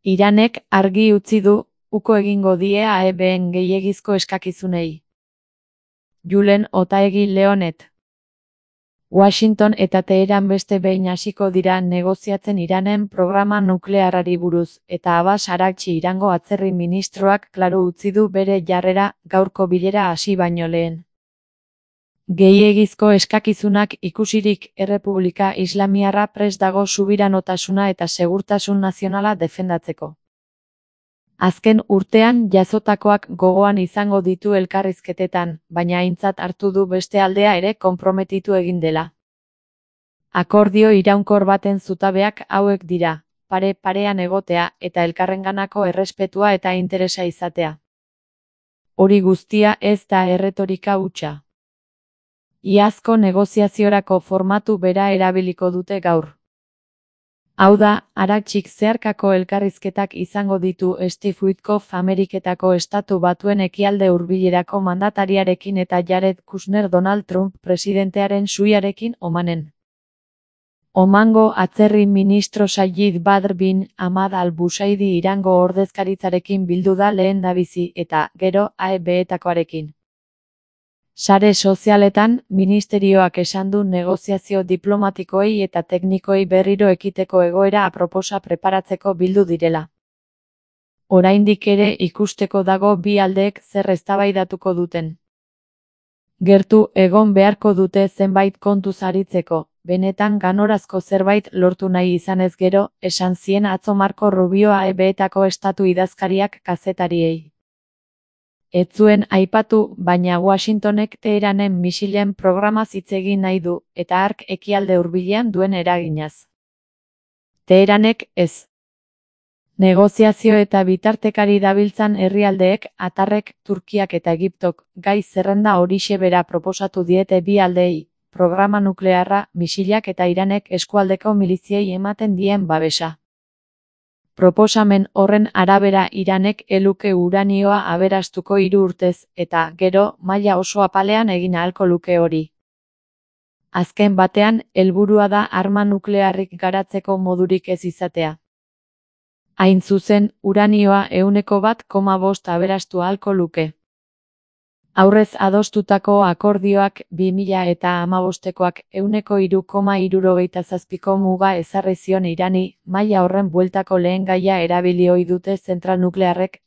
Iranek argi utzi du uko egingo die AEBen gehiegizko eskakizunei. Julen Otaegi Leonet. Washington eta Teheran beste behin hasiko dira negoziatzen Iranen programa nuklearrari buruz, eta Abbas Araghchi Irango atzerri ministroak klaru utzi du bere jarrera gaurko bilera hasi baino lehen. Gehiegizko eskakizunak ikusirik Errepublika Islamiarra prest dago subiranotasuna eta segurtasun nazionala defendatzeko. Azken urtean jazotakoak gogoan izango ditu elkarrizketetan, baina aintzat hartu du beste aldea ere konprometitu egin dela. Akordio iraunkor baten zutabeak hauek dira: pare-parean egotea eta elkarrenganako errespetua eta interesa izatea. Hori guztia ez da erretorika hutsa. Iazko negoziaziorako formatu bera erabiliko dute gaur. Hau da, Araghchik zeharkako elkarrizketak izango ditu Steve Witkoff Ameriketako Estatu Batuen ekialde hurbilerako mandatariarekin eta Jared Kushner Donald Trump presidentearen suiarekin Omanen. Omango atzerri ministro Sayid Badr bin Ahmad al-Busaidi Irango ordezkaritzarekin bildu da lehendabizi eta, gero, AEBetakoarekin. Sare sozialetan, ministerioak esan du negoziazio diplomatikoei eta teknikoei berriro ekiteko egoera aproposa preparatzeko bildu direla. Oraindik ere ikusteko dago bi aldeek zer eztabaidatuko duten. Gertu egon beharko dute zenbait kontuz aritzeko, benetan ganorazko zerbait lortu nahi izanez gero, esan zien atzo Marco Rubio AEBetako estatu idazkariak kazetariei. Ez zuen aipatu, baina Washingtonek Teheranen misilen programaz hitz egin nahi du, eta hark ekialde hurbilean duen eraginaz. Teheranek ez. Negoziazio eta bitartekari dabiltzan herrialdeek, Atarrek, Turkiak eta Egiptok, gai zerrenda horixe bera proposatu diete bi aldeei, programa nuklearra, misilak eta Iranek eskualdeko miliziei ematen dien babesa. Proposamen horren arabera Iranek eluke uranioa aberastuko 3 urtez, eta, gero, maila oso apalean egin ahalko luke hori. Azken batean, helburua da arma nuklearrik garatzeko modurik ez izatea. Hain zuzen, uranioa 1,5% aberastu ahalko luke. Aurrez adostutako akordioak 2015koak 3,67ko muga ezarri zion Irani, maila horren bueltako lehen gaia erabili ohi dute zentral nuklearrek.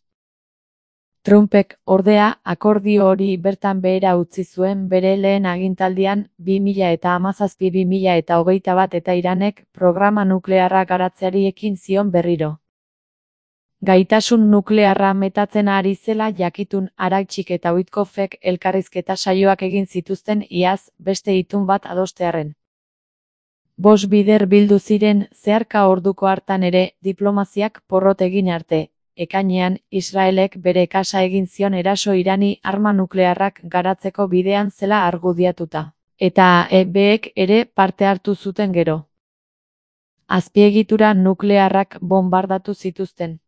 Trumpek, ordea, akordio hori bertan behera utzi zuen bere lehen agintaldian 2017-2021 eta Iranek programa nuklearra garatzeari ekin zion berriro. Gaitasun nuklearra metatzen ari zela jakitun Araghchik eta Witkoffek elkarrizketa saioak egin zituzten iaz, beste itun bat adostearren. 5 bider bildu ziren zeharka orduko hartan ere, diplomaziak porrot egin arte. Ekainean, Israelek bere kasa egin zion eraso Irani arma nuklearrak garatzeko bidean zela argudiatuta. Eta AEBek ere parte hartu zuten gero. Azpiegitura nuklearrak bombardatu zituzten.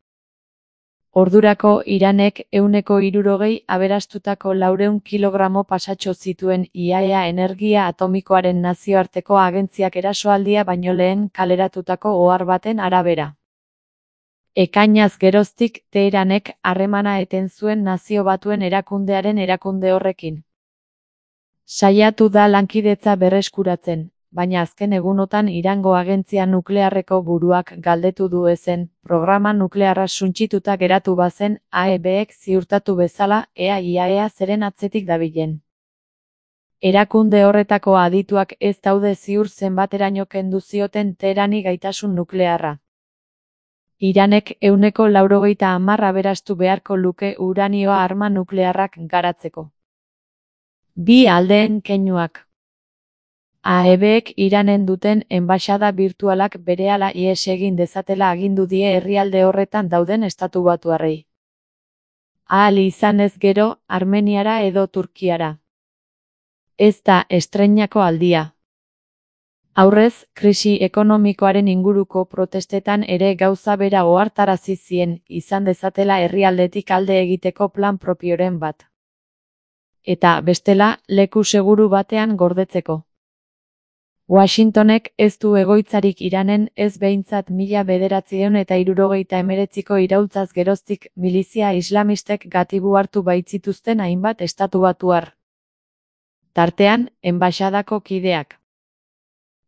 Ordurako Iranek 160 aberastutako 400 kilogramo pasatxo zituen IAEA energia atomikoaren nazioarteko agentziak erasoaldia baino lehen kaleratutako ohar baten arabera. Ekainaz geroztik Teheranek harremana eten zuen Nazio Batuen erakundearen erakunde horrekin. Saiatu da lankidetza berreskuratzen, baina azken egunotan Irango agentzia nuklearreko buruak galdetu du ezen, programa nuklearra suntsituta geratu bazen, AEBek ziurtatu bezala, ea IAEA zeren atzetik dabilen. Erakunde horretako adituak ez daude ziur zenbateraino kendu zioten Teherani gaitasun nuklearra. Iranek 190 aberastu beharko luke uranioa arma nuklearrak garatzeko. Bi aldeen keinuak. AEBek Iranen duten enbaxada birtualak berehala ihes egin dezatela agindu die herrialde horretan dauden estatubatuarrei. Ahal izanez gero, Armeniara edo Turkiara. Ez da estreinako aldia. Aurrez, krisi ekonomikoaren inguruko protestetan ere gauza bera ohartarazi zien, izan dezatela herrialdetik alde egiteko plan propioren bat. Eta, bestela, leku seguru batean gordetzeko. Washingtonek ez du egoitzarik Iranen, ez behintzat 1979ko iraultzaz geroztik milizia islamistek gatibu hartu baitzituzten hainbat estatubatuar. Tartean, enbaxadako kideak.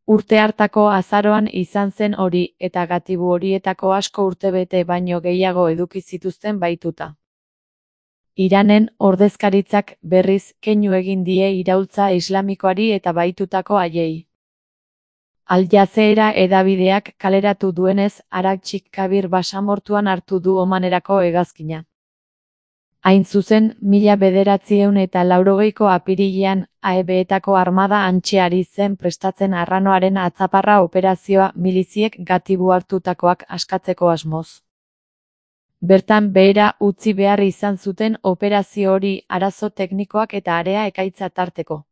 Urte hartako azaroan izan zen hori, eta gatibu horietako asko urtebete baino gehiago eduki zituzten bahituta. Iranen ordezkaritzak berriz keinu egin die iraultza islamikoari eta bahitutako haiei. Al Jazeera hedabideak kaleratu duenez, Arakchik Kabir basamortuan hartu du omanerako hegazkina. Hain zuzen, 1980ko apirilean, AEB-etako armada hantxe ari zen prestatzen arranoaren atzaparra operazioa miliziek gatibu hartutakoak askatzeko asmoz. Bertan behera utzi behar izan zuten operazio hori arazo teknikoak eta area ekaitza tarteko.